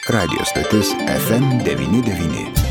Radio stotis FM99.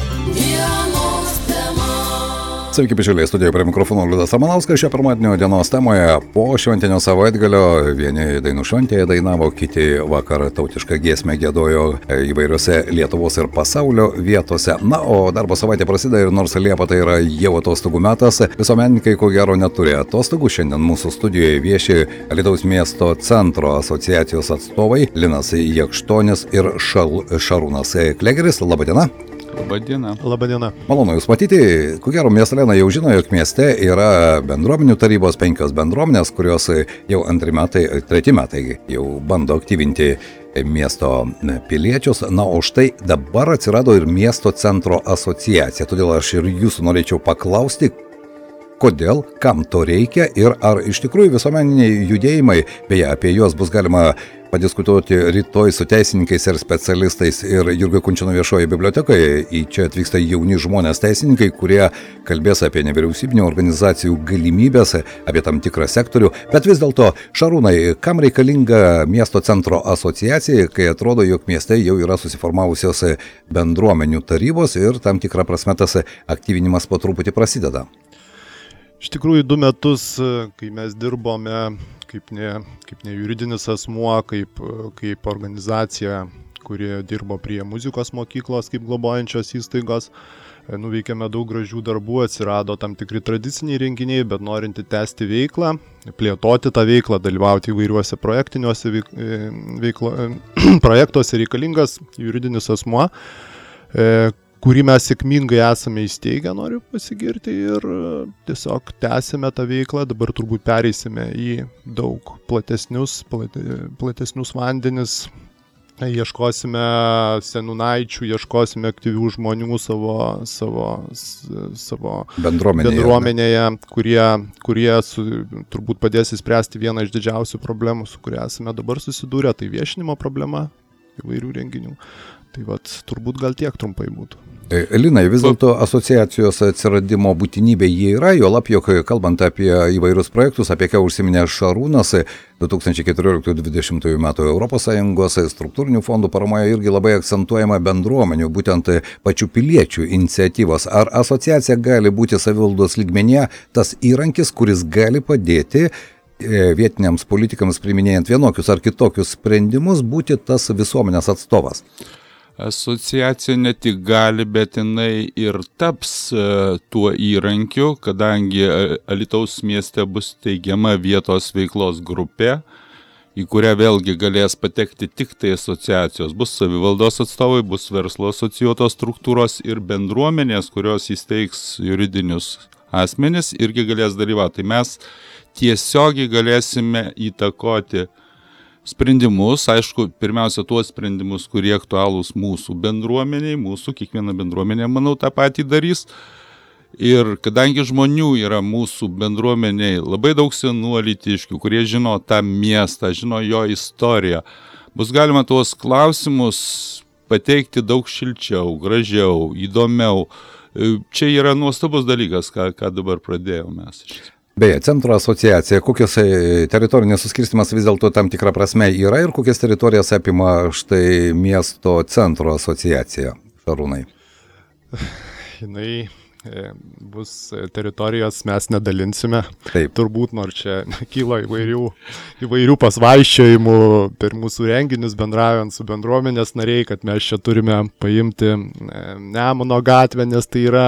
Sveiki, bičiuliai, studijoje prie mikrofono Liudas Ramanauskas. Šio pirmadienio dienos temoje po šventinio savaitgalio vieni dainų šventėje dainavo, kiti vakar tautišką giesmę giedojo įvairiose Lietuvos ir pasaulio vietose. Na, o darbo savaitė prasideda ir nors Liepa tai yra jau atostogų metas, visuomenininkai ko gero neturi atostogų. Šiandien mūsų studijoje vieši Alytaus miesto centro asociacijos atstovai Linas Jakštonis ir Šarūnas Klegeris. Labadiena. Labadiena. Malonu Jūs matyti. Ko gero miestelėnai jau žino, jog mieste yra bendruomenių tarybos 5 bendruomenės, kurios jau treti metai jau bando aktyvinti miesto piliečius. Na, o štai dabar atsirado ir miesto centro asociacija. Todėl aš ir Jūsų norėčiau paklausti, kodėl, kam to reikia ir ar iš tikrųjų visuomeniniai judėjimai, beje, apie juos bus galima padiskutuoti rytoj su teisininkais ir specialistais ir Jurgio Kunčino viešoje bibliotekoje. Į čia atvyksta jauni žmonės teisininkai, kurie kalbės apie nevyriausybinių organizacijų galimybės, apie tam tikrą sektorių. Bet vis dėlto, Šarūnai, kam reikalinga miesto centro asociacija, kai atrodo, jog mieste jau yra susiformavusios bendruomenių tarybos ir tam tikrą prasme tas aktyvinimas po truputį prasideda? Iš tikrųjų, 2 metus, kai mes dirbome kaip ne juridinis asmuo, kaip organizacija, kuri dirbo prie muzikos mokyklos kaip globojančios įstaigos, nuveikėme daug gražių darbų, atsirado tam tikri tradiciniai renginiai, bet norinti tęsti veiklą, plėtoti tą veiklą, dalyvauti įvairiuose projektiniuose projektuose reikalingas juridinis asmuo, kurį mes sėkmingai esame įsteigę, noriu pasigirti, ir tiesiog tęsime tą veiklą. Dabar turbūt pereisime į daug platesnius vandenis, ieškosime seniūnaičių, ieškosime aktyvių žmonių savo bendruomenėje, kurie turbūt padės įspręsti vieną iš didžiausių problemų, su kuria esame dabar susidūrę, tai viešinimo problema įvairių renginių. Tai turbūt gal tiek trumpai būtų. Linai, vis dėlto asociacijos atsiradimo būtinybė jie yra, jo lab, jog kalbant apie įvairius projektus, apie ką užsiminė Šarūnas, 2014-2020 metų ES struktūrinių fondų paramoje irgi labai akcentuojama bendruomenių, būtent pačių piliečių iniciatyvos. Ar asociacija gali būti savivaldos lygmenyje tas įrankis, kuris gali padėti vietiniams politikams priiminėjant vienokius ar kitokius sprendimus būti tas visuomenės atstovas? Asociacija ne tik gali, bet jinai ir taps tuo įrankiu, kadangi Alytaus mieste bus teigiama vietos veiklos grupė, į kurią vėlgi galės patekti tik tai asociacijos. Bus savivaldos atstovai, bus verslo asocijuotos struktūros ir bendruomenės, kurios įsteigs juridinius asmenis, irgi galės dalyvauti. Tai mes tiesiogiai galėsime įtakoti sprendimus, aišku, pirmiausia tuos sprendimus, kurie aktualūs mūsų bendruomeniai, kiekviena bendruomenė, manau, tą patį darys. Ir kadangi žmonių yra mūsų bendruomeniai labai daug senų alytiškių, kurie žino tą miestą, žino jo istoriją, bus galima tuos klausimus pateikti daug šilčiau, gražiau, įdomiau. Čia yra nuostabus dalykas, ką dabar pradėjome mes. Beje, centro asociacija, kokios teritorinės suskirstimas vis dėlto tam tikrą prasme yra ir kokias teritorijas apima štai miesto centro asociacija, Šarūnai? Jinai bus teritorijos, mes nedalinsime. Taip. Turbūt, nors čia kyla įvairių pasvaiščiojimų per mūsų renginius, bendraujant su bendruomenės nariai, kad mes čia turime paimti Nemuno gatvę, nes tai yra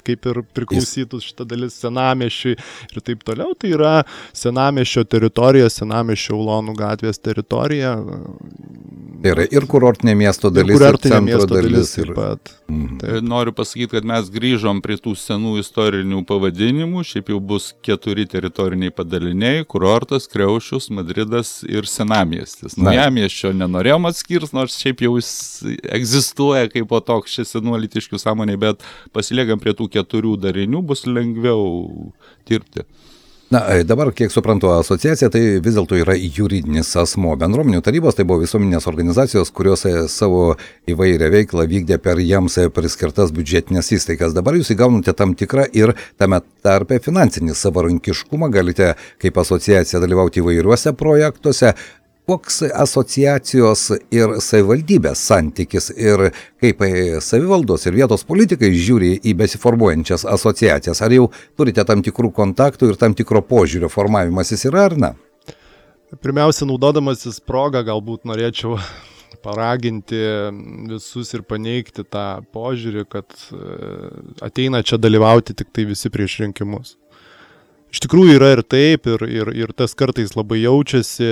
kaip ir priklausytų šitą dalis senamiesčiui ir taip toliau. Tai yra senamiesčio teritorija, senamiesčio Ulonų gatvės teritorija. Tai yra ir kurortinė miesto dalis, ir centro dalis. Taip pat. Noriu pasakyti, kad mes grįžom prie tų senų istorinių pavadinimų, šiaip jau bus 4 teritoriniai padaliniai - kurortas, Kriaušius, Madridas ir senamiestis. Naujamiesčio nenorėjom atskirs, nors šiaip jau jis egzistuoja kaip po toks čia senų alytiškių sąmonė, bet pasiliekam prie tų 4 darinių, bus lengviau dirbti. Na, dabar, kiek suprantu, asociacija tai vis dėlto yra juridinis asmuo. Bendruomenių tarybos tai buvo visuomeninės organizacijos, kurios savo įvairią veiklą vykdė per jiems priskirtas biudžetinės įstaigas. Dabar jūs įgaunate tam tikrą ir tame tarpe finansinį savarankiškumą, galite kaip asociacija dalyvauti įvairiuose projektuose. koks asociacijos ir savivaldybės santykis ir kaip savivaldos ir vietos politikai žiūri į besiformuojančias asociacijas? Ar jau turite tam tikrų kontaktų ir tam tikro požiūrio formavimasis yra ar ne? Pirmiausia, naudodamasis progą, galbūt norėčiau paraginti visus ir paneigti tą požiūrį, kad ateina čia dalyvauti tik tai visi prieš rinkimus. Iš tikrųjų yra ir taip, ir tas kartais labai jaučiasi.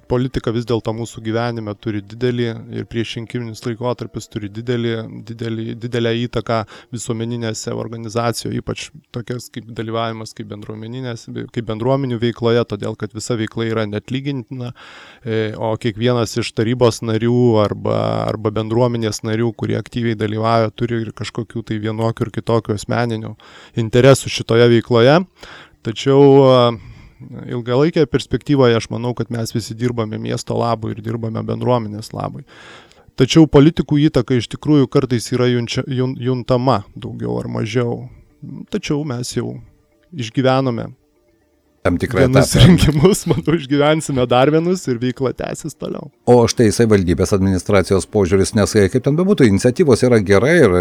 Politika vis dėlto mūsų gyvenime turi didelį ir priešrinkiminis laikotarpis turi didelę įtaką visuomeninėse organizacijose, ypač tokias kaip dalyvavimas kaip bendruomenių veikloje, todėl kad visa veikla yra neatlygintina, o kiekvienas iš tarybos narių arba bendruomenės narių, kurie aktyviai dalyvauja, turi ir kažkokių tai vienokių ir kitokių asmeninių interesų šitoje veikloje. Tačiau ilgalaikėje perspektyvoje aš manau, kad mes visi dirbame miesto labui ir dirbame bendruomenės labui. Tačiau politikų įtaka iš tikrųjų kartais yra juntama daugiau ar mažiau. Tačiau mes jau išgyvenome vienus rinkimus, manau, išgyvensime dar vienus ir veikla tęsis toliau. O štai savivaldybės administracijos požiūris, nes kaip ten bebūtų, iniciatyvos yra gerai ir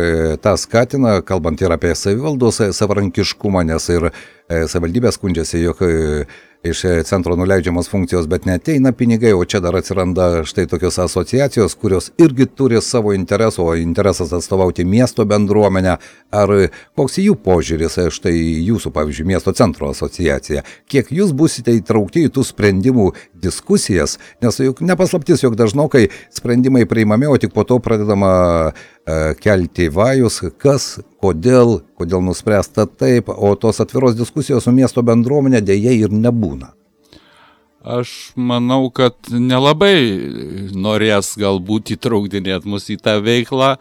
tą skatina, kalbant ir apie savivaldos savarankiškumą, nes ir savivaldybė skundžiasi, jog iš centro nuleidžiamos funkcijos, bet neateina pinigai, o čia dar atsiranda štai tokios asociacijos, kurios irgi turi savo interesų, o interesas atstovauti miesto bendruomenę. Ar koks jų požiūris, štai jūsų, pavyzdžiui, miesto centro asociacija? Kiek jūs busite įtraukti į tų sprendimų diskusijas? Nes juk nepaslaptis, jog dažnokai sprendimai priimami, o tik po to pradedama kelti vajus, kas, kodėl nuspręsta taip, o tos atviros diskusijos su miesto bendruomenė dėja ir nebūna. Aš manau, kad nelabai norės galbūt įtraukdinėti mus į tą veiklą,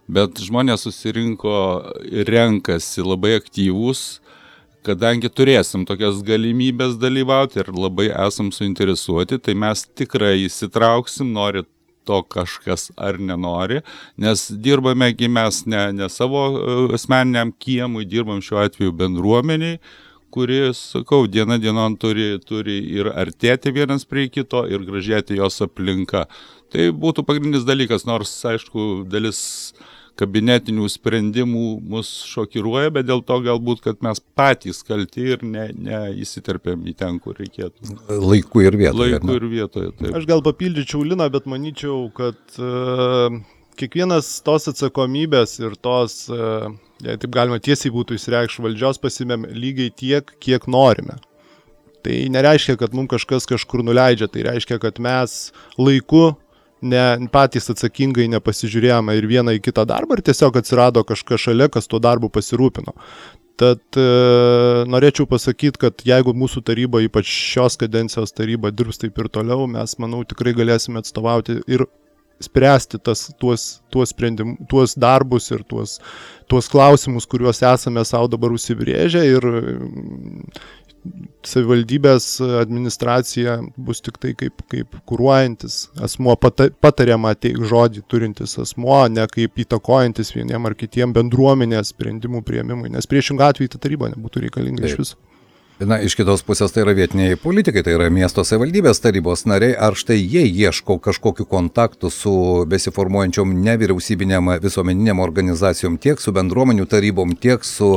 bet žmonės susirinko ir renkasi labai aktyvūs, kadangi turėsim tokias galimybės dalyvauti ir labai esam suinteresuoti, tai mes tikrai įsitrauksim, nori to kažkas ar nenori, nes dirbamegi mes ne savo asmeniniam kiemui, dirbam šiuo atveju bendruomeniai, kuri, sakau, diena dienon turi ir artėti vienas prie kito ir gražėti jos aplinka. Tai būtų pagrindinis dalykas, nors, aišku, dalis kabinetinių sprendimų mus šokiruoja, bet dėl to galbūt, kad mes patys kalti ir neįsiterpėm į ten, kur reikėtų. Laiku ir vietoje. Taip. Aš gal papildyčiau Liną, bet manyčiau, kad kiekvienas tos atsakomybės ir tos, jei taip galima tiesiai būtų įsireikšti, valdžios pasimėm lygiai tiek, kiek norime. Tai nereiškia, kad mums kažkas kažkur nuleidžia, tai reiškia, kad mes laiku patys atsakingai nepasižiūrėjome ir vieną į kitą darbą ir tiesiog atsirado kažkas šalia, kas tuo darbu pasirūpino. Tad norėčiau pasakyti, kad jeigu mūsų taryba, ypač šios kadencijos taryba, dirbs taip ir toliau, mes, manau, tikrai galėsime atstovauti ir spręsti tuos darbus ir tuos klausimus, kuriuos esame savo dabar užsibrėžę, ir savivaldybės administracija bus tik tai kaip kuruojantis asmuo, patariamą žodį turintis asmuo, ne kaip įtakojantis vieniem ar kitiem bendruomenės sprendimų priėmimui, nes priešingą atveju ta taryba nebūtų reikalinga iš viso. Na, iš kitos pusės tai yra vietiniai politikai, tai yra miesto savivaldybės tarybos nariai, ar štai jie ieško kažkokių kontaktų su besiformuojančiom nevyriausybinėm visuomeniniam organizacijom, tiek su bendruomenių tarybom, tiek su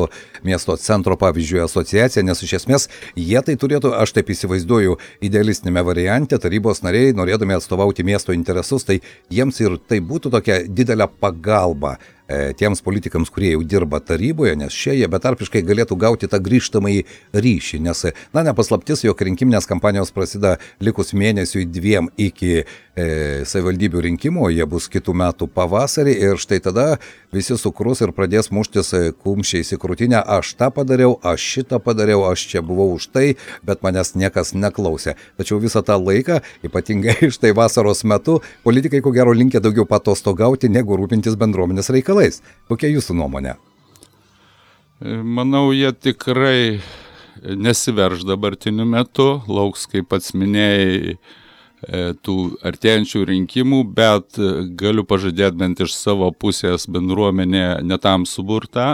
miesto centro, pavyzdžiui, asociacija, nes iš esmės jie tai turėtų, aš taip įsivaizduoju, idealistinėme variante, tarybos nariai, norėdami atstovauti miesto interesus, tai jiems ir tai būtų tokia didelė pagalba tiems politikams, kurie jau dirba taryboje, nes šie jie betarpiškai galėtų gauti tą grįžtamąjį ryšį, nes, na, nepaslaptis, jog rinkiminės kampanijos prasideda likus mėnesiui 2 iki savivaldybių rinkimų, jie bus kitų metų pavasarį ir štai tada visi sukrus ir pradės muštis kumščiais į krūtinę, aš tą padariau, aš šitą padariau, aš čia buvau už tai, bet manęs niekas neklausė. Tačiau visą tą laiką, ypatingai štai vasaros metu, politikai ko gero linkę daugiau patostogauti, negu rūpintis bendruomenės reikalais. Kokia jūsų nuomonė? Manau, jie tikrai nesiverš dabartiniu metu, lauks, kaip pats minėjai, tų artėjančių rinkimų, bet galiu pažadėti bent iš savo pusės bendruomenė netam suburta,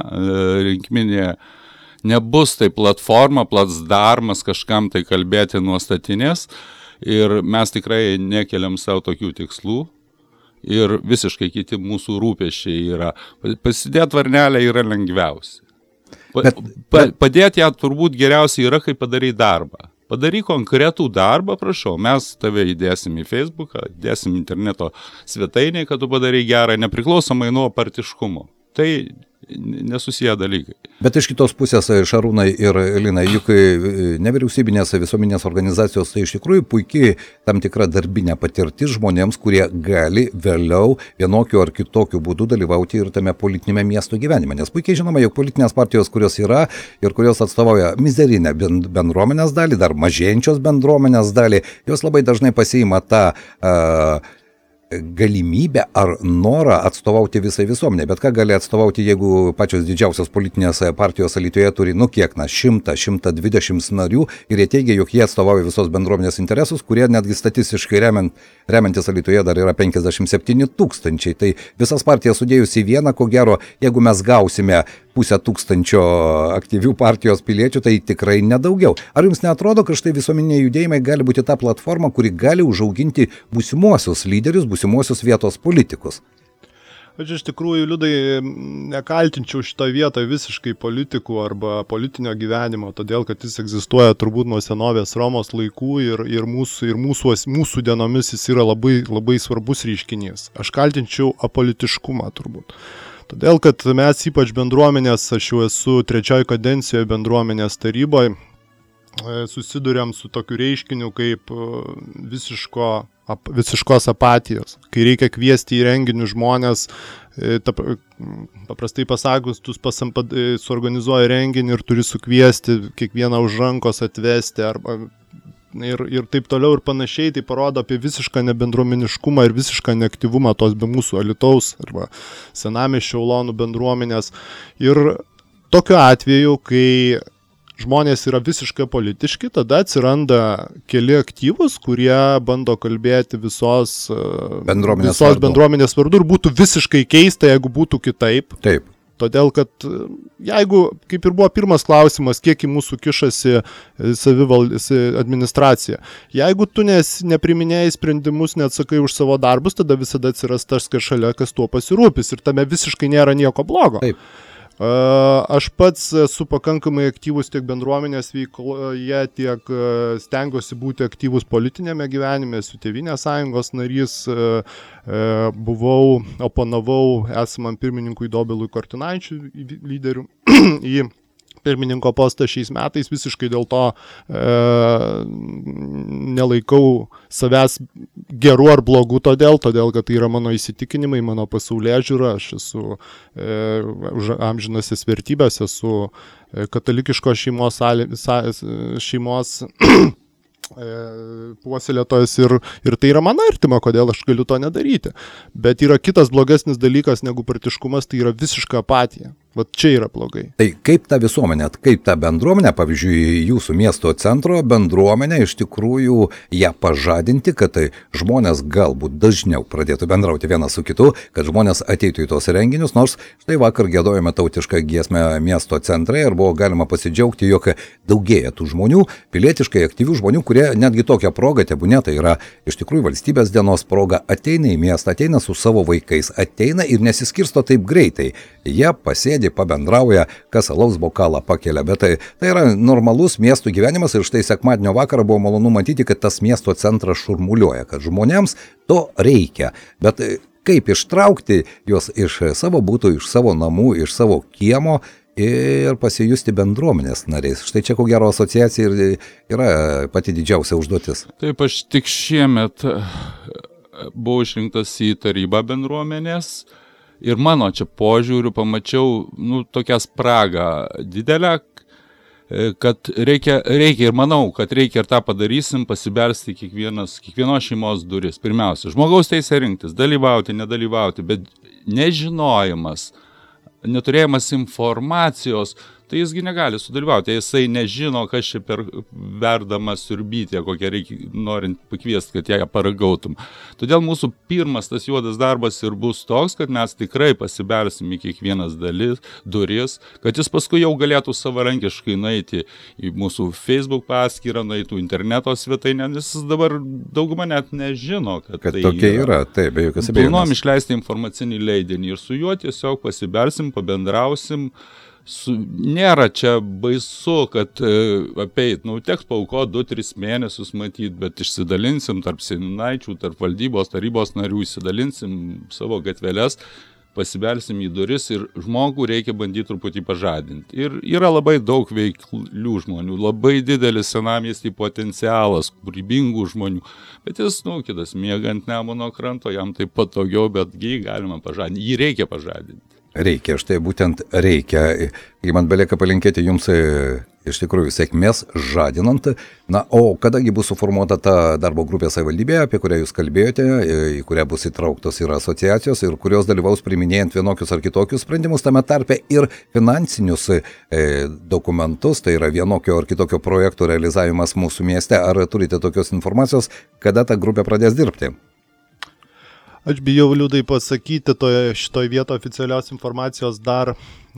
rinkiminė nebus tai platforma, platsdarmas kažkam tai kalbėti nuo statinės. ir mes tikrai nekeliam savo tokių tikslų. Ir visiškai kiti mūsų rūpesčiai yra. Pasidėti varnelę yra lengviausia. Padėti ją turbūt geriausiai yra, kai padarai darbą. Padaryk konkretų darbą, prašau, mes tave įdėsim į Facebooką, įdėsim interneto svetainėje, kad tu padarai gerą, nepriklausomai nuo partiškumo. Tai nesusiję dalykai. Bet iš kitos pusės, Šarūnai ir Lina, juk nevyriausybinės visuomenės organizacijos tai iš tikrųjų puikiai tam tikra darbinė patirtis žmonėms, kurie gali vėliau vienokiu ar kitokiu būdu dalyvauti ir tame politinėme miesto gyvenime. Nes puikiai žinoma, jog politinės partijos, kurios yra ir kurios atstovauja mizerinę bendruomenės dalį, dar mažėjančios bendruomenės dalį, jos labai dažnai pasiima tą galimybę ar norą atstovauti visai visuomenė. Bet ką gali atstovauti, jeigu pačios didžiausios politinės partijos Alytuje turi, 100-120 narių ir jie teigia, jog jie atstovauja visos bendruomenės interesus, kurie netgi statistiškai remiantis Alytuje dar yra 57 000. Tai visas partijas sudėjus į vieną, ko gero, jeigu mes gausime 500 aktyvių partijos piliečių, tai tikrai nedaugiau. Ar jums neatrodo, kad štai visuomeniniai judėjimai gali būti ta platforma, kuri gali užauginti būsimuosius lyderius, būsimuosius vietos politikus? Aš iš tikrųjų, Liudai, nekaltinčiau šitą vietą visiškai politikų arba politinio gyvenimo, todėl, kad jis egzistuoja turbūt nuo senovės Romos laikų ir mūsų dienomis jis yra labai, labai svarbus reiškinys. Aš kaltinčiau apolitiškumą turbūt. Todėl, kad mes ypač bendruomenės, aš jau esu 3 kadencijoje bendruomenės taryboje, susiduriam su tokiu reiškiniu kaip visiškos apatijos. Kai reikia kviesti į renginių žmonės, paprastai pasakus, tu suorganizuoji renginį ir turi sukviesti kiekvieną už rankos atvesti arba ir taip toliau ir panašiai, tai parodo apie visišką nebendruomeniškumą ir visišką neaktyvumą tos be mūsų Alytaus arba Senamiesčio Ulonų bendruomenės. Ir tokiu atveju, kai žmonės yra visiškai politiški, tada atsiranda keli aktyvūs, kurie bando kalbėti visos bendruomenės vardu ir būtų visiškai keista, jeigu būtų kitaip. Taip. Todėl, kad jeigu, kaip ir buvo pirmas klausimas, kiek į mūsų kišasi administracija, jeigu tu nepriminėjai sprendimus, neatsakai už savo darbus, tada visada atsiras tas šalia, kas tuo pasirūpis ir tame visiškai nėra nieko blogo. Taip. Aš pats esu pakankamai aktyvus tiek bendruomenės veikloje, tiek stengiuosi būti aktyvus politinėme gyvenime, esu Tėvynės sąjungos narys, oponavau esamam pirmininkui Dobilui Kortinaičiui lyderių į pirmininko postą šiais metais, visiškai dėl to nelaikau savęs geru ar blogu todėl, kad tai yra mano įsitikinimai, mano pasaulėžiūra, aš esu už amžinasias vertybės, esu katalikiškos šeimos puoselėtojas ir tai yra man artima, kodėl aš galiu to nedaryti. Bet yra kitas blogesnis dalykas negu partiškumas, tai yra visiška apatija. Vat čia yra blogai. Tai kaip ta visuomenė, kaip ta bendruomenė, pavyzdžiui, jūsų miesto centro bendruomenė, iš tikrųjų ją pažadinti, kad tai žmonės galbūt dažniau pradėtų bendrauti vienas su kitu, kad žmonės ateitų į tos renginius, nors štai vakar giedojame tautišką giesmę miesto centre ir buvo galima pasidžiaugti, jog daugėja tų žmonių, pilietiškai aktyvių žmonių, kurie netgi tokią progą, tebūnie tai yra iš tikrųjų valstybės dienos proga, ateina į miestą, ateina su savo vaikais, ateina ir nesiskirsto taip greitai. Jie pasėdi, pabendrauja, kas alaus bokalą pakelia, bet tai yra normalus miestų gyvenimas ir štai sekmadienio vakarą buvo malonu matyti, kad tas miesto centras šurmuliuoja, kad žmonėms to reikia, bet kaip ištraukti juos iš savo būtų, iš savo namų, iš savo kiemo ir pasijusti bendruomenės nariais. Štai čia ko gero asociacija ir yra pati didžiausia užduotis. Taip, aš tik šiemet buvau išrinktas į tarybą bendruomenės. Ir mano čia požiūriu pamačiau tokią spragą didelę, kad reikia ir manau, kad reikia ir tą padarysim, pasibelsti kiekvienos šeimos duris. Pirmiausia, žmogaus teisė rinktis, dalyvauti, nedalyvauti, bet nežinojimas, neturėjimas informacijos tai jisgi negali sudalyvauti. Jisai nežino, kas čia per verdama siurbytė, kokią reikia norint pakviesti, kad ją paragautum. Todėl mūsų pirmas tas juodas darbas ir bus toks, kad mes tikrai pasibelsim į kiekvienas duris, kad jis paskui jau galėtų savarankiškai nueiti į mūsų Facebook paskyrą, nueitų interneto svetainę, nes jis dabar dauguma net nežino, kad tai tokia yra. Taip, be jokios abejonės. Planuojam išleisti informacinį leidinį ir su juo tiesiog pasibelsim, pabendrausim. Nėra čia baisu, kad apeit, teks paukoti 2-3 mėnesius matyt, bet išsidalinsim tarp seniūnaičių, tarp valdybos, tarybos narių, išsidalinsim savo gatveles, pasibelsim į duris ir žmogų reikia bandyti truputį pažadinti. Ir yra labai daug veiklių žmonių, labai didelis senamiestį potencialas, kūrybingų žmonių, bet jis, kitas miega ant Nemuno kranto, jam tai patogiau, bet jį galima pažadinti, jį reikia pažadinti. Reikia, štai būtent reikia. Kai man belieka palinkėti jums iš tikrųjų sėkmės žadinant. Na, o kadangi bus suformuota ta darbo grupė savivaldybėje, apie kurią jūs kalbėjote, į kurią bus įtrauktos ir asociacijos, ir kurios dalyvaus priiminėjant vienokius ar kitokius sprendimus, tame tarpe ir finansinius dokumentus, tai yra vienokio ar kitokio projekto realizavimas mūsų mieste. Ar turite tokios informacijos, kada ta grupė pradės dirbti? Aš bijau liūdai pasakyti, šitoj vietoje oficialios informacijos dar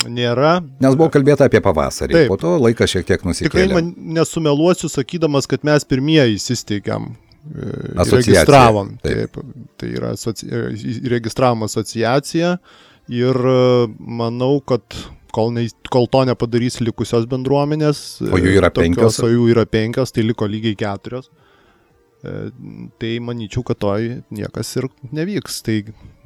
nėra. Nes buvo kalbėta apie pavasarį, taip. Po to laikas šiek tiek nusikėlė. Tikrai nesumeluosiu, sakydamas, kad mes pirmieji įsisteigėm, registravom. Taip. Tai yra registravom asociaciją ir manau, kad kol to nepadarys likusios bendruomenės, o jų yra 5, tai liko lygiai 4. Tai manyčiau, kad niekas ir nevyks. Tai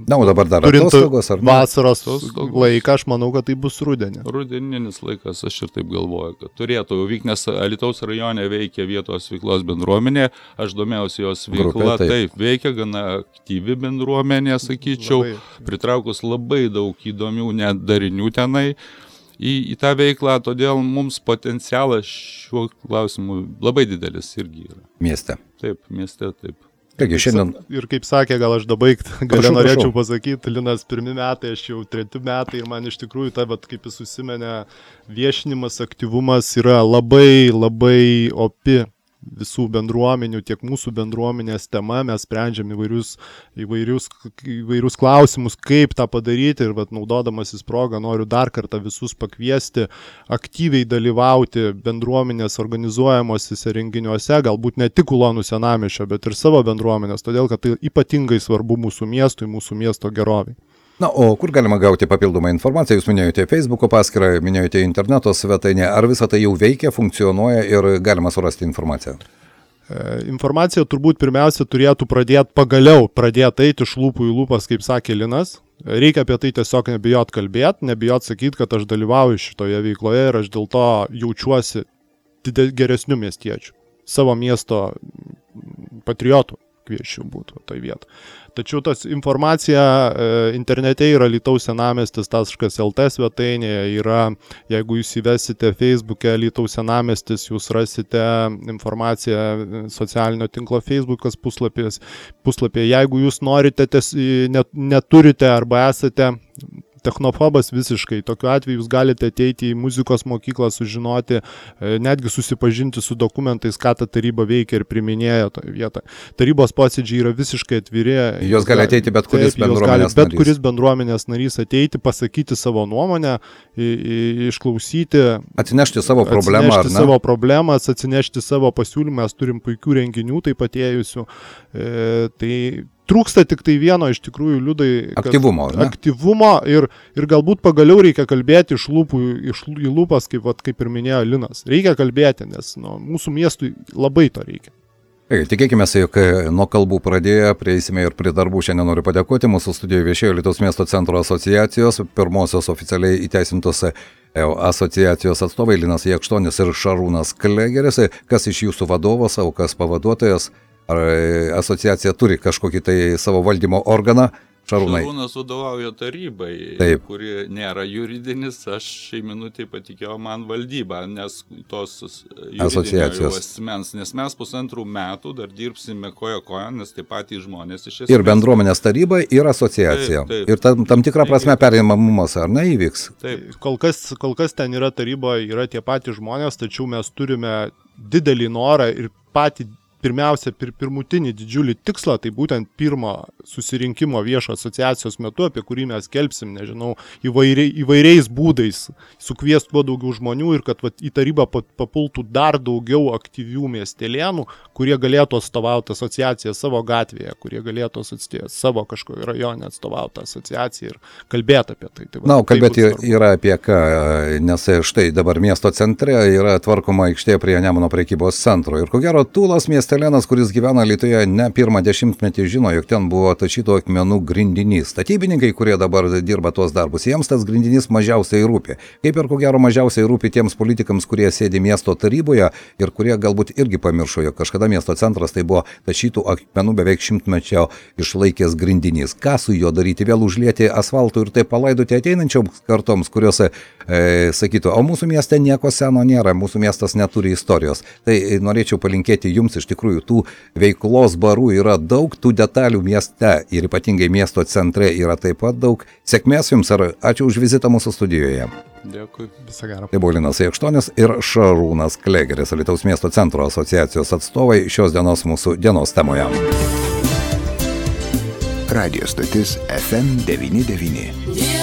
na, o dabar dar atostogos ar vasaros laiką, aš manau, kad tai bus rudenį. Rudeninis laikas, aš ir taip galvoju, kad turėtų vykti, nes Alytaus rajone veikia vietos veiklos bendruomenė, aš domėjausi jos veikla, taip, veikia gana aktyvi bendruomenė, sakyčiau, pritraukus labai daug įdomių net darinių tenai į tą veiklą, todėl mums potencialas šiuo klausimu labai didelis irgi yra. Mieste. Taip, mieste, taip. Taigi, šiandien... Ir kaip sakė, gal aš norėčiau pasakyti, Linas 1 metai, aš jau 3 metai ir man iš tikrųjų kaip jis užsimenė, viešinimas, aktyvumas yra labai, labai opi visų bendruomenių, tiek mūsų bendruomenės tema, mes sprendžiam įvairius klausimus, kaip tą padaryti ir naudodamasis progą noriu dar kartą visus pakviesti aktyviai dalyvauti bendruomenės organizuojamosiuose renginiuose, galbūt ne tik Ulonų senamiesčio, bet ir savo bendruomenės, todėl kad tai ypatingai svarbu mūsų miestui, mūsų miesto geroviai. Na, o kur galima gauti papildomą informaciją? Jūs minėjote Facebook'o paskyrą, minėjote interneto svetainę. Ar visą tai jau veikia, funkcionuoja ir galima surasti informaciją? Informacija turbūt pirmiausia turėtų pagaliau pradėti eiti iš lūpų į lūpas, kaip sakė Linas. Reikia apie tai tiesiog nebijot kalbėti, nebijot sakyti, kad aš dalyvauju šitoje veikloje ir aš dėl to jaučiuosi geresniu miestiečiu. Savo miesto patriotų kviečiu būtų tai vietą. Tačiau tas informacija internete yra Alytaus senamiestis.lt svetainėje, jeigu jūs įvesite Facebook'e Alytaus senamiestis, jūs rasite informaciją socialinio tinklo Facebook'as puslapyje. Jeigu jūs norite, neturite arba esate technofobas visiškai, tokiu atveju jūs galite ateiti į muzikos mokyklą, sužinoti, netgi susipažinti su dokumentais, ką ta taryba veikia ir priminėja toje vietoje. Tarybos posėdžiai yra visiškai atviri. Jos gali ateiti bet kuris bendruomenės narys. Bet kuris bendruomenės narys ateiti, pasakyti savo nuomonę, išklausyti. Atsinešti savo problemą, ar ne? Savo problemas, atsinešti savo pasiūlymą, mes turim puikių renginių taip atėjusių. Tai trūksta tik tai vieno iš tikrųjų, Liudai, aktyvumo ir galbūt pagaliau reikia kalbėti iš lūpų į lūpas, kaip ir minėjo Linas. Reikia kalbėti, nes mūsų miestui labai to reikia. Tikėkime, jog nuo kalbų pradėję prieisime ir prie darbų. Šiandien noriu padėkoti. Mūsų studijoje viešėjo Alytaus miesto centro asociacijos, pirmosios oficialiai įteisintos asociacijos atstovai Linas Jakštonis ir Šarūnas Klegeris. Kas iš jūsų vadovas, o kas pavaduotojas? Ar asociacija turi kažkokį tai savo valdymo organą, Šarūnai. Šarūnas vadovauja tarybai, Taip. kuri nėra juridinis, aš šiai minutį patikėjau man valdybą, nes tos Asociacijos. asmens, nes mes 1,5 metų dar dirbsime koja, nes taip patys žmonės iš Ir bendruomenės taryba, ir asociacija. Taip. Ir tam tikrą prasme perėjimamumas, ar ne, įvyks? Taip. Kol kas ten yra taryba, yra tie patys žmonės, tačiau mes turime didelį norą ir patį pirmiausia, pirmutinį didžiulį tikslą, tai būtent pirmo susirinkimo viešo asociacijos metu, apie kurį mes kelpsim, nežinau, įvairiais būdais, sukviest kuo daugiau žmonių ir kad į tarybą papultų dar daugiau aktyvių miestelėnų, kurie galėtų atstovauti asociaciją savo gatvėje, kurie galėtų savo kažkoje rajone atstovauti asociaciją ir kalbėti apie tai. Na, kalbėti yra apie ką, nes štai dabar miesto centre yra tvarkoma aikštė prie Nemuno prekybos centro ir ko gero Tūlas miestelenas, kuris gyvena Alytuje ne pirmą dešimtmetį, žino, jog ten buvo tašytų akmenų grindinys. Statybininkai, kurie dabar dirba tuos darbus, jiems tas grindinys mažiausiai rūpi. Kaip ir ko gero mažiausiai rūpi tiems politikams, kurie sėdi miesto taryboje ir kurie galbūt irgi pamiršo, jog kažkada miesto centras tai buvo tašytų akmenų beveik 100-mečio išlaikęs grindinys. Ką su juo daryti? Vėl užlieti asfaltų ir taip palaidoti ateinančioms kartoms, kurios sakytų, o mūsų mieste nieko seno nėra, mūsų miestas neturi istorijos. Tai norėčiau palinkėti jums, iš tikrųjų tų veiklos barų yra daug, tų detalių mieste ir ypatingai miesto centre yra taip pat daug. Sėkmės jums ir ačiū už vizitą mūsų studijoje. Dėkui. Visą gerą. Tai buvo Linas Jakštonis ir Šarūnas Klegeris, Alytaus miesto centro asociacijos atstovai šios dienos mūsų dienos temoje. Radio stotis FM 99.